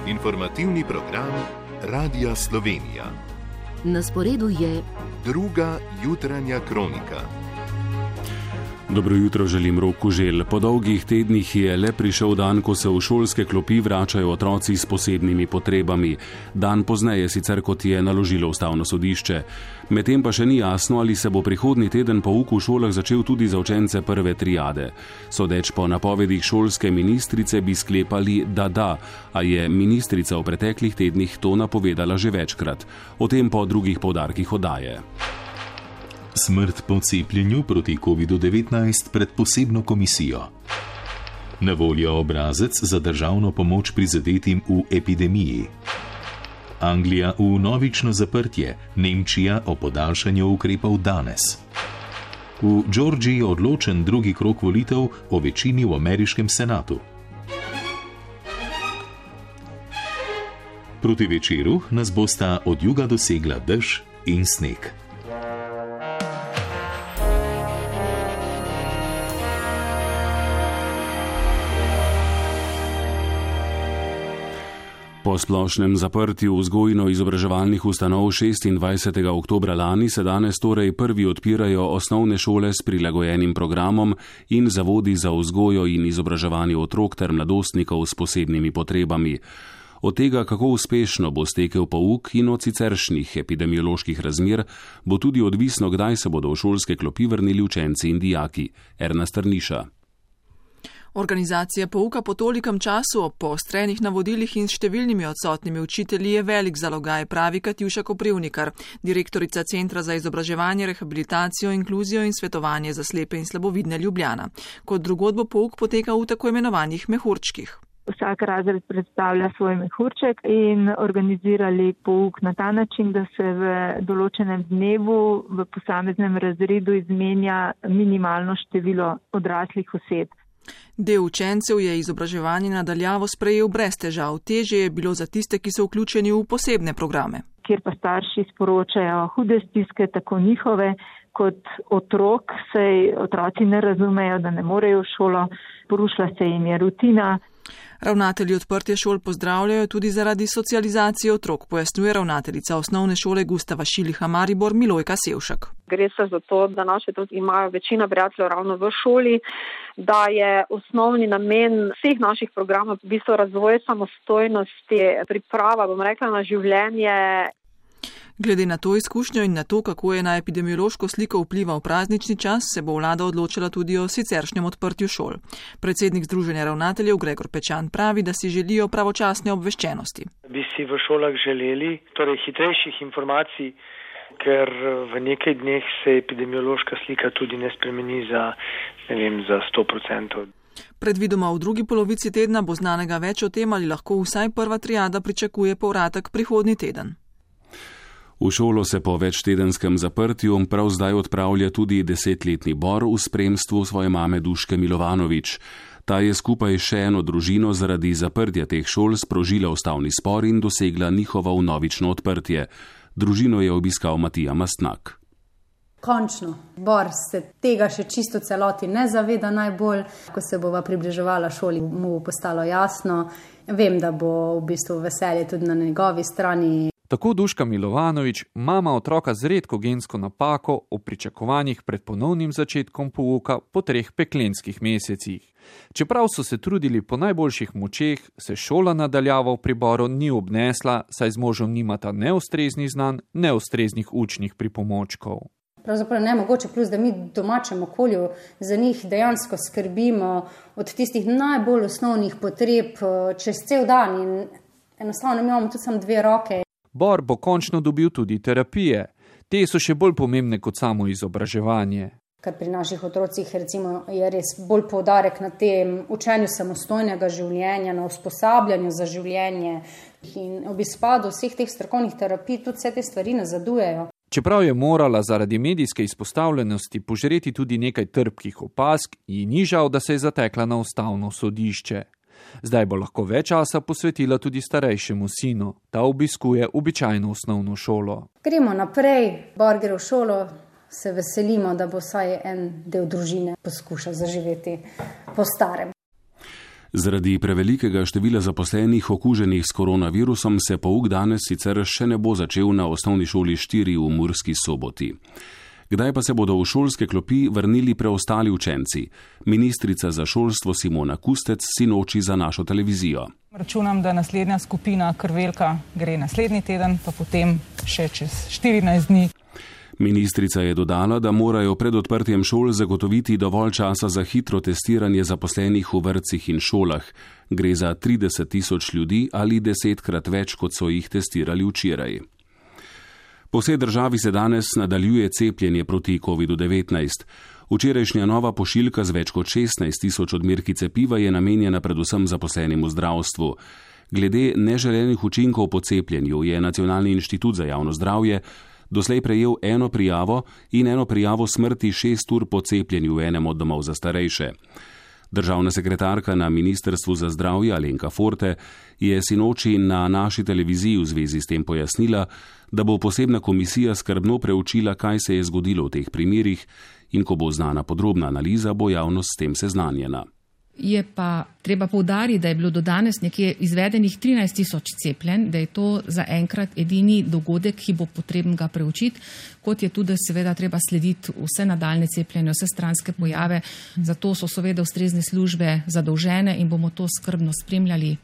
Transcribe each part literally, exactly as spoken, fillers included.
Informativni program Radia Slovenija. Na sporedu je druga jutranja kronika. Dobro jutro, želim Rok Kuželj. Po dolgih tednih je le prišel dan, ko se v šolske klopi vračajo otroci s posebnimi potrebami. Dan pozneje sicer, kot je naložilo ustavno sodišče. Medtem pa še ni jasno, ali se bo prihodnji teden pouk v šolah začel tudi za učence prve triade. Sodeč po napovedih šolske ministrice bi sklepali, da da, a je ministrica v preteklih tednih to napovedala že večkrat. O tem po drugih poudarkih oddaje. Smrt po cepljenju proti kovidu devetnajst pred posebno komisijo. Na voljo obrazec za državno pomoč prizadetim v epidemiji. Anglija v vnovično zaprtje, Nemčija o podaljšanju ukrepov danes. V Georgiji odločen drugi krog volitev o večini v ameriškem senatu. Proti večeru nas bosta od juga dosegla dež in sneg. Po splošnem zaprtju vzgojno-izobraževalnih ustanov šestindvajsetega oktobra lani se danes torej prvi odpirajo osnovne šole s prilagojenim programom in zavodi za vzgojo in izobraževanje otrok ter mladostnikov s posebnimi potrebami. Od tega, kako uspešno bo stekel pouk in od siceršnjih epidemioloških razmer, bo tudi odvisno, kdaj se bodo v šolske klopi vrnili učenci in dijaki. Erna Strniša. Organizacija pouka po tolikem času ob poostrenih navodilih in številnimi odsotnimi učitelji je velik zalogaj, pravi Katjuša Koprivnikar, direktorica Centra za izobraževanje, rehabilitacijo, inkluzijo in svetovanje za slepe in slabovidne Ljubljana. Kot drugod bo pouk potekal v tako imenovanih mehurčkih. Vsak razred predstavlja svoj mehurček in organizirali pouk na ta način, da se v določenem dnevu v posameznem razredu izmenja minimalno število odraslih oseb. Del učencev je izobraževanje nadaljavo sprejel brez težav, težje je bilo za tiste, ki so vključeni v posebne programe. Kjer pa starši sporočajo hude stiske, tako njihove kot otrok, saj otroci ne razumejo, da ne morejo v šolo, porušila se jim je rutina. Ravnatelji odprtja šol pozdravljajo tudi zaradi socializacije otrok, pojasnjuje ravnateljica osnovne šole Gustava Šiliha Maribor Milojka Sevšek. Gre se za to, da naši otroci imajo večina prijateljev ravno v šoli, da je osnovni namen vseh naših programov v bistvu razvoj samostojnosti, priprava, bom rekla, na življenje. Glede na to izkušnjo in na to, kako je na epidemiološko sliko vplival praznični čas, se bo vlada odločila tudi o siceršnjem odprtju šol. Predsednik Združenja ravnateljev Gregor Pečan pravi, da si želijo pravočasne obveščenosti. Bi si v šolah želeli torej hitrejših informacij, ker v nekaj dneh se epidemiološka slika tudi ne spremeni za, ne vem, za sto procentov. Predvidoma v drugi polovici tedna bo znanega več o tem, ali lahko vsaj prva triada pričakuje povratek prihodnji teden. V šolo se po večtedenskem zaprtju prav zdaj odpravlja tudi desetletni Bor v spremstvu svoje mame Duške Milovanovič. Ta je skupaj še eno družino zaradi zaprtja teh šol sprožila ustavni spor in dosegla njihovo vnovično odprtje. Družino je obiskal Matija Mastnak. Končno, Bor se tega še čisto celoti ne zaveda najbolj. Ko se bova približevala šoli, mu bo postalo jasno. Vem, da bo v bistvu veselje tudi na njegovi strani. Tako Duška Milovanovič, mama otroka z redko gensko napako, o pričakovanjih pred ponovnim začetkom pouka po treh peklenskih mesecih. Čeprav so se trudili po najboljših močeh, se šola nadaljavo v Priboru ni obnesla, saj z možem nimata neustreznih znanj, neustreznih učnih pripomočkov. Pravzaprav ne mogoče, plus da mi v domačem okolju za njih dejansko skrbimo od tistih najbolj osnovnih potreb čez cel dan in enostavno imamo tudi samo dve roke. Bor bo končno dobil tudi terapije. Te so še bolj pomembne kot samo izobraževanje. Ker pri naših otrocih recimo, je res bolj poudarek na tem učenju samostojnega življenja, na usposabljanju za življenje. In ob izpadu vseh teh strokovnih terapij tudi vse te stvari nazadujejo. Čeprav je morala zaradi medijske izpostavljenosti požreti tudi nekaj trpkih opazk, ji ni žal, da se je zatekla na ustavno sodišče. Zdaj bo lahko več časa posvetila tudi starejšemu sinu. Ta obiskuje običajno osnovno šolo. Gremo naprej, Bor gre v šolo, se veselimo, da bo vsaj en del družine poskušal zaživeti po starem. Zaradi prevelikega števila zaposlenih okuženih s koronavirusom se pouk danes sicer še ne bo začel na osnovni šoli štiri v Murski Soboti. Kdaj pa se bodo v šolske klopi vrnili preostali učenci? Ministrica za šolstvo Simona Kustec sinoči za našo televizijo. Računam, da naslednja skupina krvelka gre naslednji teden, pa potem še čez štirinajst dni. Ministrica je dodala, da morajo pred odprtjem šol zagotoviti dovolj časa za hitro testiranje zaposlenih v vrtcih in šolah. Gre za trideset tisoč ljudi ali desetkrat več, kot so jih testirali včeraj. Po vsej državi se danes nadaljuje cepljenje proti kovidu devetnajst. Včerajšnja nova pošiljka z več kot šestnajst tisoč odmerki cepiva je namenjena predvsem zaposlenim v zdravstvu. Glede neželenih učinkov po cepljenju je Nacionalni inštitut za javno zdravje doslej prejel eno prijavo in eno prijavo smrti šest ur po cepljenju v enem od domov za starejše. Državna sekretarka na Ministrstvu za zdravje Alenka Forte je sinoči na naši televiziji v zvezi s tem pojasnila, da bo posebna komisija skrbno preučila, kaj se je zgodilo v teh primerih in ko bo znana podrobna analiza, bo javnost s tem seznanjena. Je pa treba poudariti, da je bilo do danes nekje izvedenih trinajst tisoč cepljenj, da je to zaenkrat edini dogodek, ki bo potreben ga preučiti, kot je tudi seveda treba slediti vse nadaljne cepljenje, vse stranske pojave. Zato so seveda ustrezne službe zadolžene in bomo to skrbno spremljali.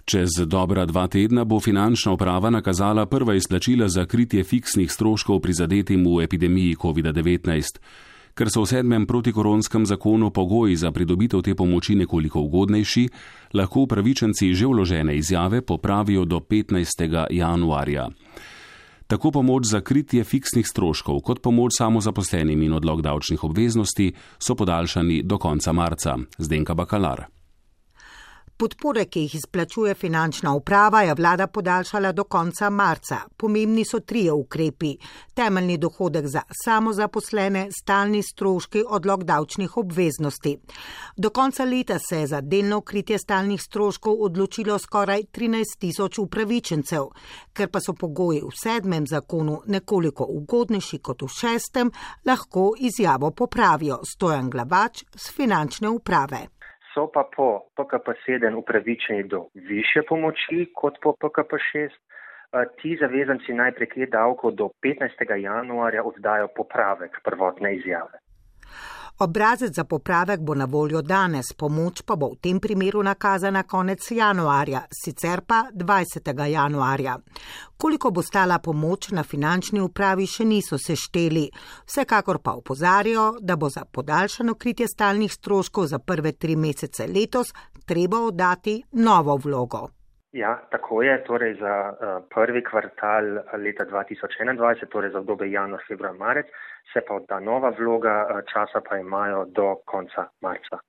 Čez dobra dva tedna bo finančna uprava nakazala prva izplačila za kritje fiksnih stroškov prizadetim v epidemiji kovida devetnajst. Ker so v sedmem protikoronskem zakonu pogoji za pridobitev te pomoči nekoliko ugodnejši, lahko upravičenci že vložene izjave popravijo do petnajstega januarja. Tako pomoč za kritje fiksnih stroškov kot pomoč samozaposlenim in odlog davčnih obveznosti so podaljšani do konca marca. Zdenka Bakalar. Podpore, ki jih izplačuje finančna uprava, je vlada podaljšala do konca marca. Pomembni so trije ukrepi. Temeljni dohodek za samozaposlene, stalni stroški, odlog davčnih obveznosti. Do konca leta se je za delno kritje stalnih stroškov odločilo skoraj trinajst tisoč upravičencev. Ker pa so pogoji v sedmem zakonu nekoliko ugodnejši kot v šestem, lahko izjavo popravijo. Stojan Glavač z finančne uprave. So pa po P K P sedem upravičeni do više pomoči kot po P K P šest. Ti zavezanci naj prek e-davkov do petnajstega januarja oddajo popravek prvotne izjave. Obrazec za popravek bo na voljo danes, pomoč pa bo v tem primeru nakazana konec januarja, sicer pa dvajsetega januarja. Koliko bo stala pomoč, na finančni upravi še niso sešteli. Vsekakor pa opozarjajo, da bo za podaljšano kritje stalnih stroškov za prve tri mesece letos treba oddati novo vlogo. Ja, tako je, torej za uh, prvi kvartal leta dva tisoč enaindvajset, torej za obdobje januar, februar, marec, se pa odda nova vloga, uh, časa pa imajo do konca marca.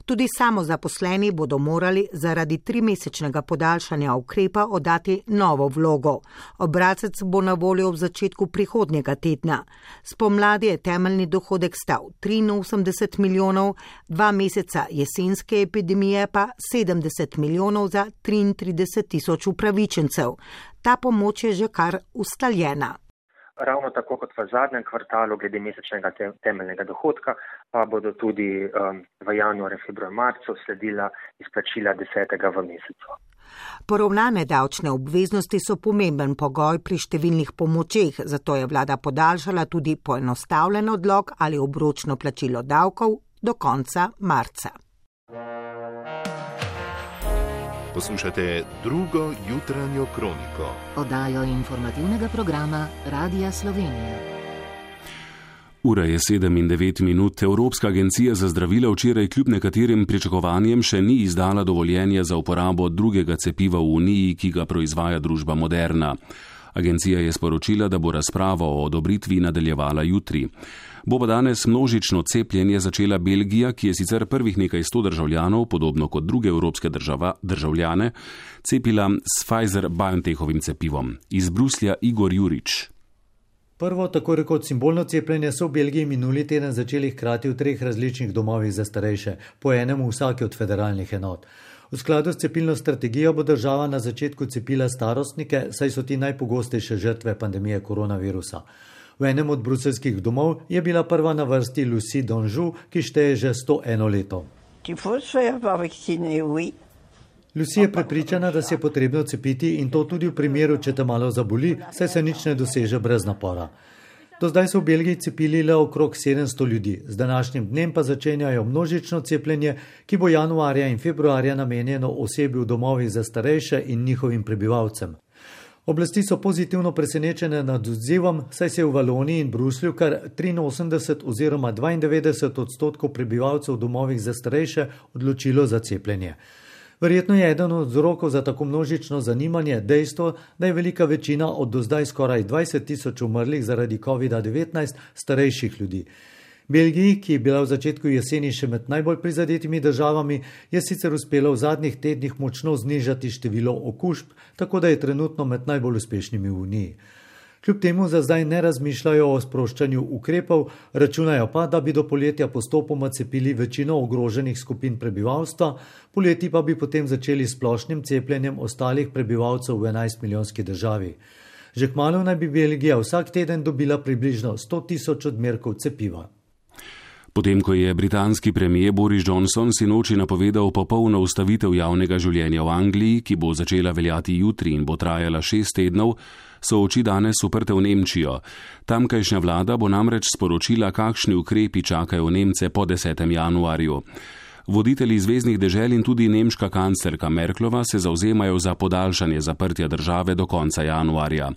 Tudi samozaposleni bodo morali zaradi trimesečnega podaljšanja ukrepa oddati novo vlogo. Obrazec bo na voljo v začetku prihodnjega tedna. Spomladi je temeljni dohodek stal triinosemdeset milijonov, dva meseca jesenske epidemije pa sedemdeset milijonov za triintrideset tisoč upravičencev. Ta pomoč je že kar ustaljena. Ravno tako kot v zadnjem kvartalu glede mesečnega temeljnega dohodka, pa bodo tudi um, v januarju, februarju, marcu sledila izplačila desetega v mesecu. Poravnane davčne obveznosti so pomemben pogoj pri številnih pomočeh, zato je vlada podaljšala tudi poenostavljen odlog ali obročno plačilo davkov do konca marca. Poslušate drugo jutranjo kroniko. Oddajo informativnega programa Radia Slovenija. Ura je sedem in devet minut. Evropska agencija za zdravila včeraj kljub nekaterim pričakovanjem še ni izdala dovoljenja za uporabo drugega cepiva v Uniji, ki ga proizvaja družba Moderna. Agencija je sporočila, da bo razpravo o odobritvi nadaljevala jutri. Bo pa danes množično cepljenje začela Belgija, ki je sicer prvih nekaj sto državljanov, podobno kot druge evropske država, državljane, cepila s Pfizer-BioNTechovim cepivom. Iz Bruslja Igor Jurič. Prvo, tako rekoč simbolno cepljenje so v Belgiji minuli teden začeli hkrati v treh različnih domovih za starejše, po enem v vsaki od federalnih enot. V skladu s cepilno strategijo bo država na začetku cepila starostnike, saj so ti najpogostejše žrtve pandemije koronavirusa. V enem od bruselskih domov je bila prva na vrsti Lucie Donžu, ki šteje že sto eno leto. Lucy je prepričana, da se je potrebno cepiti in to tudi v primeru, če te malo zaboli, saj se nič ne doseže brez napora. Do zdaj so v Belgiji cepili le okrog sedemsto ljudi, z današnjim dnem pa začenjajo množično cepljenje, ki bo januarja in februarja namenjeno osebi v domovih za starejše in njihovim prebivalcem. Oblasti so pozitivno presenečene nad odzivom, saj se je v Valoniji in Bruslju kar triinosemdeset oziroma dvaindevetdeset odstotkov prebivalcev v domovih za starejše odločilo za cepljenje. Verjetno je eden od vzrokov za tako množično zanimanje dejstvo, da je velika večina od do zdaj skoraj dvajset tisoč umrlih zaradi kovida devetnajst starejših ljudi. Belgiji, ki je bila v začetku jeseni še med najbolj prizadetimi državami, je sicer uspelo v zadnjih tednih močno znižati število okužb, tako da je trenutno med najbolj uspešnimi v Uniji. Kljub temu za zdaj ne razmišljajo o sproščanju ukrepov, računajo pa, da bi do poletja postopoma cepili večino ogroženih skupin prebivalstva, poleti pa bi potem začeli s splošnim cepljenjem ostalih prebivalcev v enajstmilijonski državi. Že kmalu naj bi Belgija vsak teden dobila približno sto tisoč odmerkov cepiva. Potem, ko je britanski premijer Boris Johnson sinoči napovedal popolno ustavitev javnega življenja v Angliji, ki bo začela veljati jutri in bo trajala šest tednov, so oči danes uprte v Nemčijo. Tamkajšnja vlada bo namreč sporočila, kakšni ukrepi čakajo Nemce po desetem januarju. Voditelji zveznih dežel in tudi nemška kanclerka Merklova se zavzemajo za podaljšanje zaprtja države do konca januarja.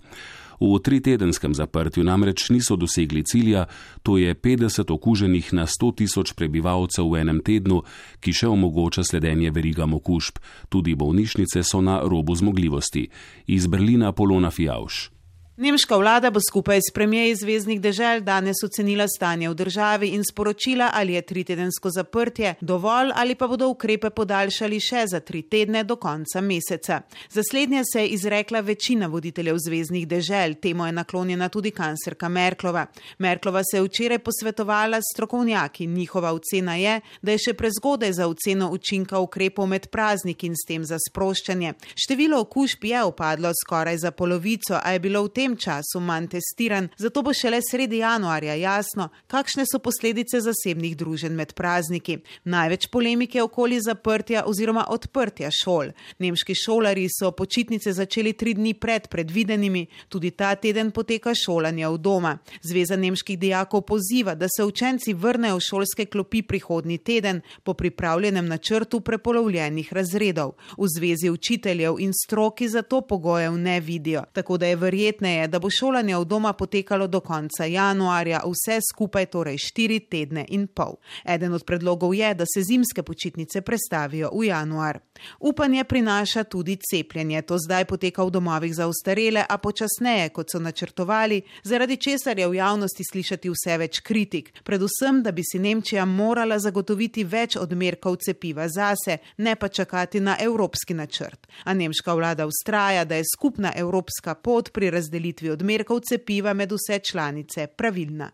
V tritedenskem zaprtju namreč niso dosegli cilja, to je petdeset okuženih na sto tisoč prebivalcev v enem tednu, ki še omogoča sledenje verigam okužb. Tudi bolnišnice so na robu zmogljivosti. Iz Berlina Polona Fijavš. Nemška vlada bo skupaj s premijeji zveznih dežel danes ocenila stanje v državi in sporočila, ali je tritedensko zaprtje dovolj ali pa bodo ukrepe podaljšali še za tri tedne do konca meseca. Za slednje se je izrekla večina voditeljev zveznih dežel, temu je naklonjena tudi kanclerka Merklova. Merklova se je včeraj posvetovala s strokovnjaki. Njihova ocena je, da je še prezgodaj za oceno učinka ukrepov med prazniki in s tem za sproščanje. Število okužb je upadlo skoraj za polovico, a je bilo v tem V tem času manj testiran, zato bo šele sredi januarja jasno, kakšne so posledice zasebnih druženj med prazniki. Največ polemike okoli zaprtja oziroma odprtja šol. Nemški šolarji so počitnice začeli tri dni pred predvidenimi, tudi ta teden poteka šolanje v doma. Zveza nemških dijakov poziva, da se učenci vrnejo v šolske klopi prihodnji teden po pripravljenem načrtu prepolovljenih razredov. V zvezi učiteljev in stroki zato pogojev ne vidijo, tako da je verjetneje, da bo šolanje v doma potekalo do konca januarja, vse skupaj torej štiri tedne in pol. Eden od predlogov je, da se zimske počitnice prestavijo v januar. Upanje prinaša tudi cepljenje. To zdaj poteka v domovih za ostarele, a počasneje, kot so načrtovali, zaradi česar je v javnosti slišati vse več kritik. Predvsem, da bi si Nemčija morala zagotoviti več odmerkov cepiva zase, ne pa čakati na evropski načrt. A nemška vlada vztraja, da je skupna evropska pot pri razdelitvi odmerkov cepiva med vse članice pravilna.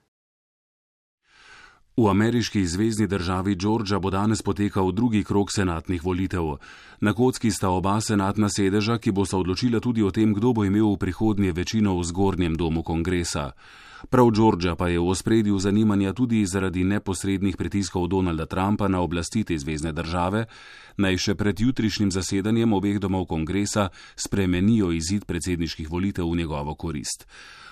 V ameriški zvezni državi Georgia bo danes potekal drugi krog senatnih volitev. Na kocki sta oba senatna sedeža, ki bosta odločila tudi o tem, kdo bo imel v prihodnje večino v zgornjem domu kongresa. Prav Georgia pa je v ospredju zanimanja tudi zaradi neposrednih pritiskov Donalda Trumpa na oblasti te zvezne države, naj še pred jutrišnjim zasedanjem obeh domov kongresa spremenijo izid predsedniških volitev v njegovo korist.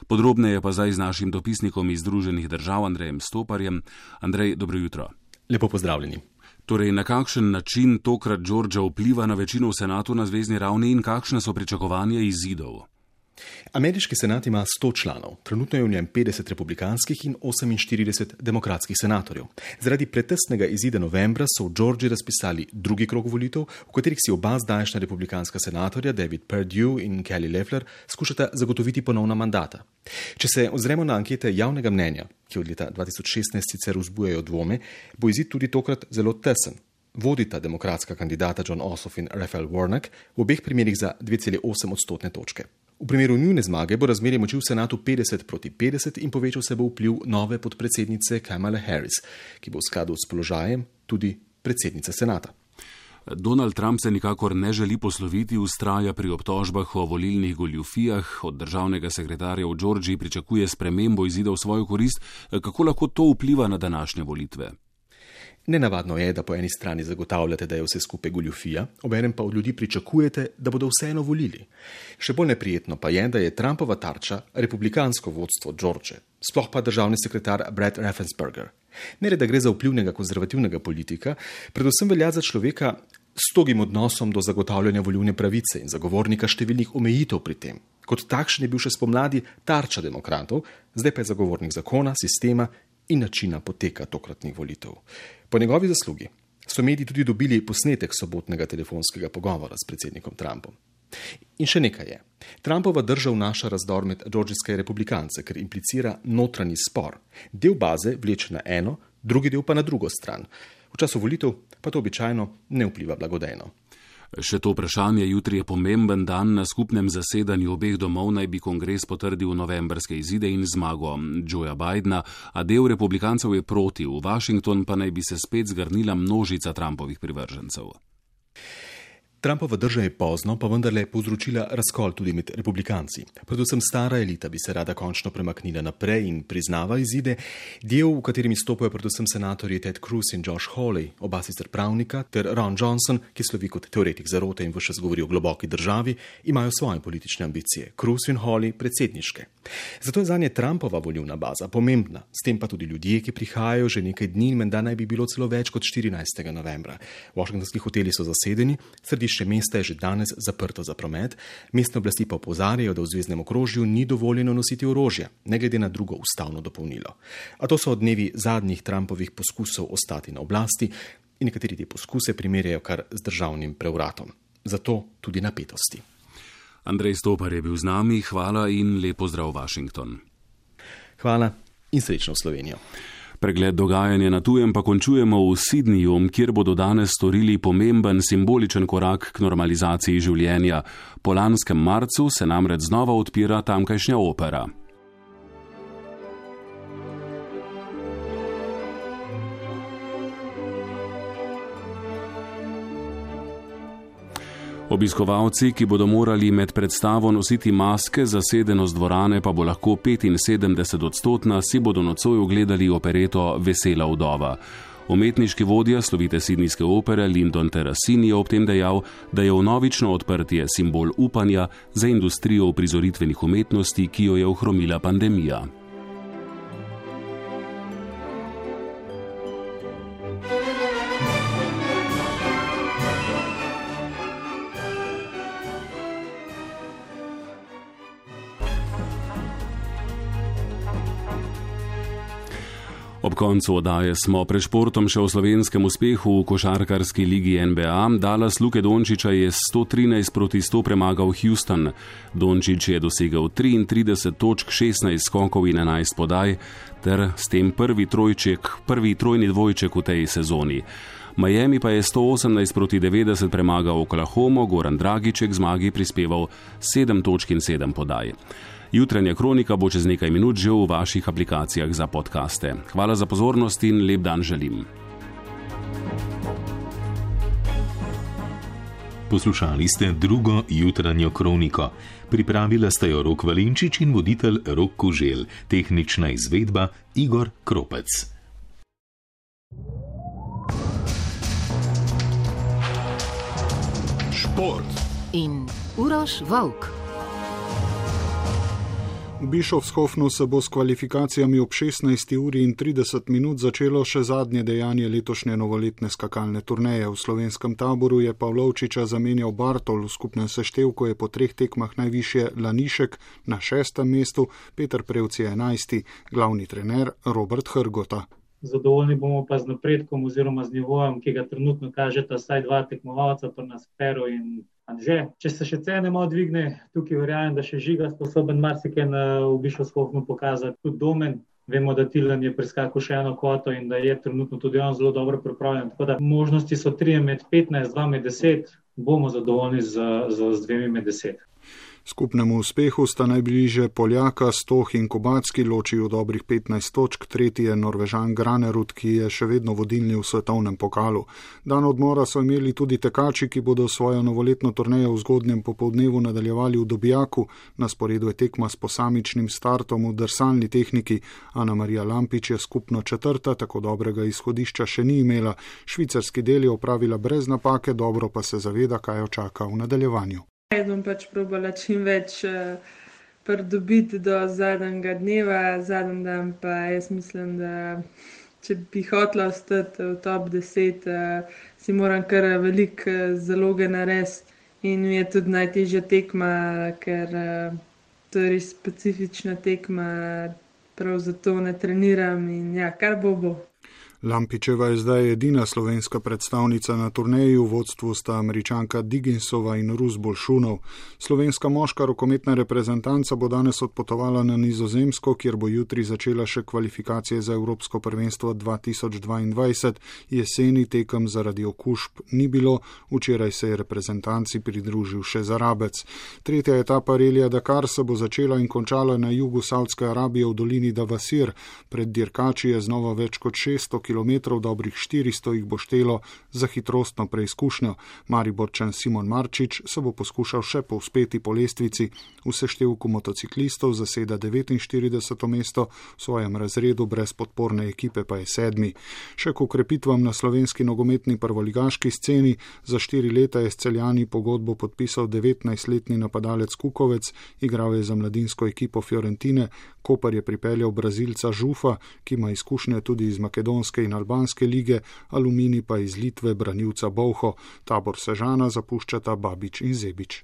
Podrobneje pa zdaj z našim dopisnikom iz Združenih držav Andrejem Stoparjem. Andrej, dobro jutro. Lepo pozdravljeni. Torej, na kakšen način tokrat Georgia vpliva na večino v senatu na zvezni ravni in kakšne so pričakovanja izidov? Ameriški senat ima sto članov, trenutno je v njem petdeset republikanskih in oseminštirideset demokratskih senatorjev. Zaradi pretesnega izida novembra so v Georgiji razpisali drugi krog volitev, v katerih si oba zdajšnja republikanska senatorja David Perdue in Kelly Loeffler skušata zagotoviti ponovna mandata. Če se ozremo na ankete javnega mnenja, ki od leta dva tisoč šestnajst sicer vzbujajo dvome, bo izid tudi tokrat zelo tesen. Vodita demokratska kandidata Jon Ossoff in Raphael Warnock v obeh primerih za dve celi osem odstotne točke. V primeru njune zmage bo razmerje moči v senatu petdeset proti petdeset in povečal se bo vpliv nove podpredsednice Kamale Harris, ki bo v skladu s položajem tudi predsednica senata. Donald Trump se nikakor ne želi posloviti, vztraja pri obtožbah o volilnih goljufijah, od državnega sekretarja v Georgiji pričakuje spremembo izida v svojo korist. Kako lahko to vpliva na današnje volitve? Nenavadno je, da po eni strani zagotavljate, da je vse skupaj goljufija, obenem pa od ljudi pričakujete, da bodo vseeno volili. Še bolj neprijetno pa je, da je Trumpova tarča republikansko vodstvo George, sploh pa državni sekretar Brad Raffensperger. Ne le, da gre za vplivnega konzervativnega politika, predvsem velja za človeka s togim odnosom do zagotavljanja volilne pravice in zagovornika številnih omejitev pri tem. Kot takšen je bil še spomladi tarča demokratov, zdaj pa je zagovornik zakona, sistema in načina poteka tokratnih volitev. Po njegovi zaslugi so mediji tudi dobili posnetek sobotnega telefonskega pogovora s predsednikom Trumpom. In še nekaj je. Trumpova drža vnaša razdor med georgijske republikance, ker implicira notranji spor. Del baze vleče na eno, drugi del pa na drugo stran. V času volitev pa to običajno ne vpliva blagodejno. Še to vprašanje, jutri je pomemben dan. Na skupnem zasedanju obeh domov naj bi kongres potrdil novembrske izide in zmago Joea Bidena, a del republikancev je proti. V Washington pa naj bi se spet zgrnila množica Trumpovih privržencev. Trumpova drža je pozno, pa vendarle povzročila razkol tudi med republikanci. Predvsem stara elita bi se rada končno premaknila naprej in priznava izide. Del, v katerem stopajo predvsem senatorji Ted Cruz in Josh Hawley, oba sicer pravnika, ter Ron Johnson, ki slovi kot teoretik zarote in vse govori o globoki državi, imajo svoje politične ambicije. Cruz in Hawley predsedniške. Zato je zanje Trumpova volilna baza pomembna. S tem pa tudi ljudje, ki prihajajo že nekaj dni, menda naj bi bilo celo več kot štirinajstega novembra. Washingtonski hoteli so zasedeni, središče mesta je že danes zaprto za promet, mestne oblasti pa opozarjajo, da v zvezdnem okrožju ni dovoljeno nositi orožja, ne glede na drugo ustavno dopolnilo. A to so odnevi zadnjih Trumpovih poskusov ostati na oblasti in nekateri te poskuse primerjajo kar z državnim prevratom. Zato tudi napetosti. Andrej Stopar je bil z nami, hvala in lep pozdrav Washington. Hvala in srečno v Slovenijo. Pregled dogajanja na tujem pa končujemo v Sydneyju, kjer bodo danes storili pomemben simboličen korak k normalizaciji življenja. Po lanskem marcu se namreč znova odpira tamkajšnja opera. Obiskovalci, ki bodo morali med predstavo nositi maske, zasedenost dvorane pa bo lahko petinsedemdeset odstotna, si bodo nocoj ogledali opereto Vesela vdova. Umetniški vodja slovite sydneyske opere Lyndon Terracini je ob tem dejal, da je vnovično odprtje simbol upanja za industrijo uprizoritvenih umetnosti, ki jo je ohromila pandemija. Ob koncu oddaje smo pred športom še o slovenskem uspehu v košarkarski ligi N B A. Dallas Luke Dončiča je sto trinajst proti sto premagal Houston. Dončič je dosegel triintrideset točk, šestnajst skokov in enajst podaj, ter s tem prvi trojček, prvi trojni dvojček v tej sezoni. Miami pa je sto osemnajst proti devetdeset premagal Oklahomo, Goran Dragić k zmagi prispeval sedem točk in sedem podaj. Jutranja kronika bo čez nekaj minut že v vaših aplikacijah za podcaste. Hvala za pozornost in lep dan želim. Poslušali ste drugo jutranjo kroniko. Pripravila sta jo Rok Valenčič in voditelj Rok Koželj. Tehnična izvedba Igor Kropec. Šport in Uroš Volk. V Bischofshofnu se bo s kvalifikacijami ob šestnajsti uri in trideset minut začelo še zadnje dejanje letošnje novoletne skakalne turneje. V slovenskem taboru je Pavlovčiča zamenjal Bartol, v skupnem seštevku je po treh tekmah najvišje Lanišek na šestem mestu, Peter Prevc je enajsti, glavni trener Robert Hrgota. Zadovoljni bomo pa z napredkom oziroma z nivojem, ki ga trenutno kažeta vsaj dva tekmovalca, pa nas Pero in Anže. Če se še cene malo dvigne, tukaj verjamem, da še Žiga sposoben marsikaj v Bischofshofnu pokazati. Tudi Domen, vemo, da Tilen je preskakal še eno kvoto in da je trenutno tudi on zelo dobro pripravljen. Tako da možnosti so tri med petnajst, dva med deset, bomo zadovoljni z, z, z dvemi med deset. Skupnemu uspehu sta najbližje Poljaka Stoh in Kubacki, ločijo dobrih petnajst točk, tretji je Norvežan Granerud, ki je še vedno vodilni v svetovnem pokalu. Dan odmora so imeli tudi tekači, ki bodo svojo novoletno turnejo v zgodnjem popoldnevu nadaljevali v Dobijaku. Na sporedu je tekma s posamičnim startom v drsalni tehniki. Ana Marija Lampič je skupno četrta, tako dobrega izhodišča še ni imela. Švicarski del je opravila brez napake, dobro pa se zaveda, kaj jo čaka v nadaljevanju. Jaz bom pač probala čim več uh, pridobiti do zadnjega dneva, zadnji dan pa jaz mislim, da če bi hotela ostati v top deset, uh, si moram kar veliko uh, zaloge narediti in mi je tudi najtežja tekma, ker uh, to je res specifična tekma, prav zato ne treniram in ja, kar bo bo. Lampičeva je zdaj edina slovenska predstavnica na turneji, v vodstvu sta Američanka Digginsova in Rus Bolšunov. Slovenska moška rokometna reprezentanca bo danes odpotovala na Nizozemsko, kjer bo jutri začela še kvalifikacije za Evropsko prvenstvo dva tisoč dvaindvajset. Jeseni tekem zaradi okužb ni bilo, včeraj se je reprezentanci pridružil še Zarabec. Tretja etapa relija Dakar se bo začela in končala na jugu Saudske Arabije v dolini Davasir. Pred dirkači je znova več kot šeststo kilometrov, dobrih štiristo jih bo štelo za hitrostno preizkušnjo. Mariborčan Simon Marčič se bo poskušal še povzpeti po lestvici. V seštevku motociklistov zaseda devetinštirideseto mesto, v svojem razredu brez podporne ekipe pa je sedmi. Še k ukrepitvam na slovenski nogometni prvoligaški sceni, za štiri leta je s Celjani pogodbo podpisal devetnajstletni napadalec Kukovec, igral je za mladinsko ekipo Fiorentine, Koper je pripeljal Brazilca Žufa, ki ima izkušnje tudi iz makedonske in albanske lige, Aluminij pa iz Litve branilca Bovho. Tabor Sežana zapuščata Babič in Zebič.